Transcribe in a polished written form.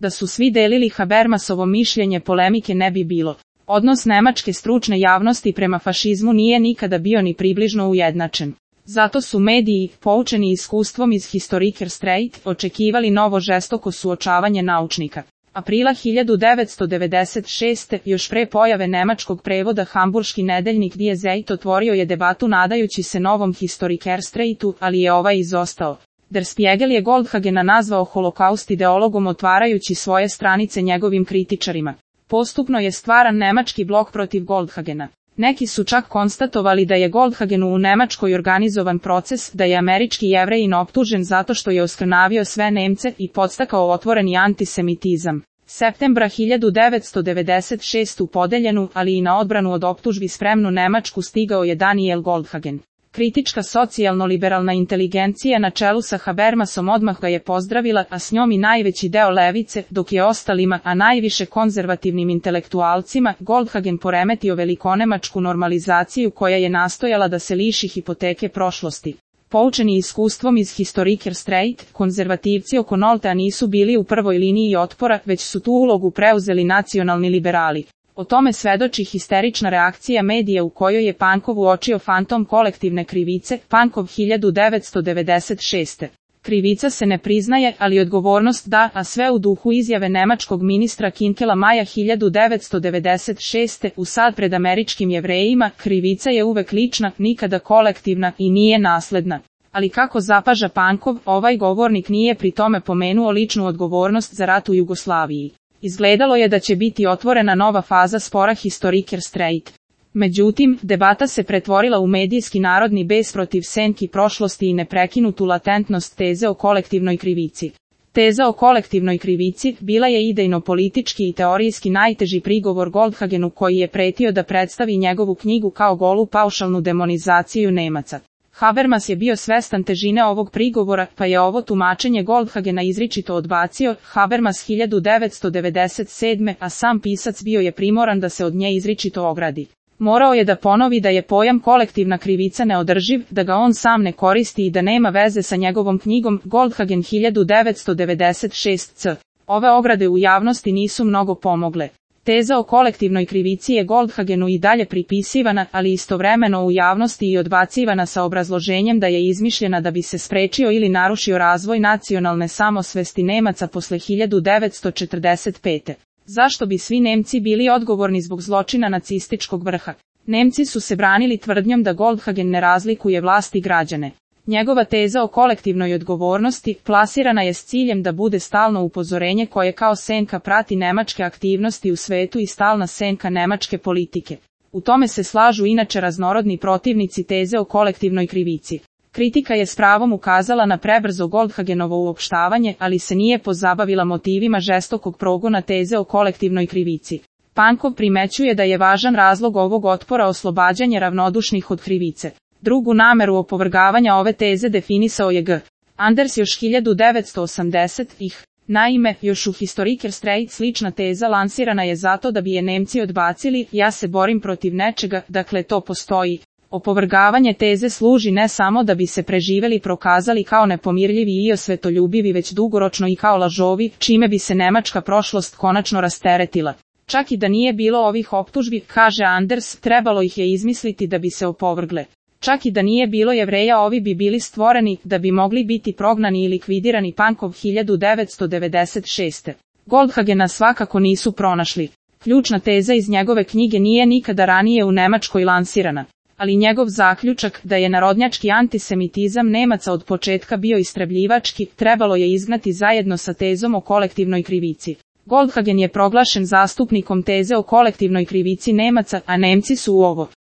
Da su svi delili Habermasovo mišljenje, polemike ne bi bilo. Odnos nemačke stručne javnosti prema fašizmu nije nikada bio ni približno ujednačen. Zato su mediji, poučeni iskustvom iz Historiker Streit, očekivali novo žestoko suočavanje naučnika. Aprila 1996. još pre pojave nemačkog prevoda hamburški nedeljnik Die Zeit otvorio je debatu nadajući se novom Historiker Streitu, ali je ovaj izostao. Der Spiegel je Goldhagena nazvao holokaust ideologom, otvarajući svoje stranice njegovim kritičarima. Postupno je stvaran nemački blok protiv Goldhagena. Neki su čak konstatovali da je Goldhagenu u Nemačkoj organizovan proces, da je američki Jevrejin optužen zato što je oskrnavio sve Nemce i podstakao otvoreni antisemitizam. Septembra 1996. u podeljenu, ali i na odbranu od optužbi spremnu Nemačku stigao je Daniel Goldhagen. Kritička socijalno-liberalna inteligencija na čelu sa Habermasom odmah ga je pozdravila, a s njom i najveći deo levice, dok je ostalima, a najviše konzervativnim intelektualcima, Goldhagen poremetio velikonemačku normalizaciju koja je nastojala da se liši hipoteke prošlosti. Poučeni iskustvom iz Historiker Streit, konzervativci oko Noltea nisu bili u prvoj liniji otpora, već su tu ulogu preuzeli nacionalni liberali. O tome svedoči histerična reakcija medija u kojoj je Pankov uočio fantom kolektivne krivice, Pankov 1996. Krivica se ne priznaje, ali odgovornost da, a sve u duhu izjave nemačkog ministra Kinkela maja 1996. u sad pred američkim Jevrejima, krivica je uvek lična, nikada kolektivna i nije nasledna. Ali kako zapaža Pankov, ovaj govornik nije pri tome pomenuo ličnu odgovornost za rat u Jugoslaviji. Izgledalo je da će biti otvorena nova faza spora Historiker Streit. Međutim, debata se pretvorila u medijski narodni bes protiv senki prošlosti i neprekinutu latentnost teze o kolektivnoj krivici. Teza o kolektivnoj krivici bila je idejno-politički i teorijski najteži prigovor Goldhagenu, koji je pretio da predstavi njegovu knjigu kao golu paušalnu demonizaciju Nemaca. Habermas je bio svestan težine ovog prigovora, pa je ovo tumačenje Goldhagena izričito odbacio. Habermas 1997. a sam pisac bio je primoran da se od nje izričito ogradi. Morao je da ponovi da je pojam kolektivna krivica neodrživ, da ga on sam ne koristi i da nema veze sa njegovom knjigom Goldhagen 1996c. Ove ograde u javnosti nisu mnogo pomogle. Teza o kolektivnoj krivici je Goldhagenu i dalje pripisivana, ali istovremeno u javnosti i odbacivana sa obrazloženjem da je izmišljena da bi se sprečio ili narušio razvoj nacionalne samosvesti Nemaca posle 1945. Zašto bi svi Nemci bili odgovorni zbog zločina nacističkog vrha? Nemci su se branili tvrdnjom da Goldhagen ne razlikuje vlast i građane. Njegova teza o kolektivnoj odgovornosti plasirana je s ciljem da bude stalno upozorenje koje kao senka prati nemačke aktivnosti u svetu i stalna senka nemačke politike. U tome se slažu inače raznorodni protivnici teze o kolektivnoj krivici. Kritika je s pravom ukazala na prebrzo Goldhagenovo uopštavanje, ali se nije pozabavila motivima žestokog progona teze o kolektivnoj krivici. Pankov primećuje da je važan razlog ovog otpora oslobađanje ravnodušnih od krivice. Drugu nameru opovrgavanja ove teze definisao je G. Anders još 1980-ih. Naime, još u Historiker Streit slična teza lansirana je zato da bi je Nemci odbacili, ja se borim protiv nečega, dakle to postoji. Opovrgavanje teze služi ne samo da bi se preživeli prokazali kao nepomirljivi i osvetoljubivi, već dugoročno i kao lažovi, čime bi se nemačka prošlost konačno rasteretila. Čak i da nije bilo ovih optužbi, kaže Anders, trebalo ih je izmisliti da bi se opovrgle. Čak i da nije bilo Jevreja, ovi bi bili stvoreni, da bi mogli biti prognani i likvidirani. Pankov 1996. Goldhagena svakako nisu pronašli. Ključna teza iz njegove knjige nije nikada ranije u Nemačkoj lansirana. Ali njegov zaključak, da je narodnjački antisemitizam Nemaca od početka bio istrebljivački, trebalo je izgnati zajedno sa tezom o kolektivnoj krivici. Goldhagen je proglašen zastupnikom teze o kolektivnoj krivici Nemaca, a Nemci su u ovo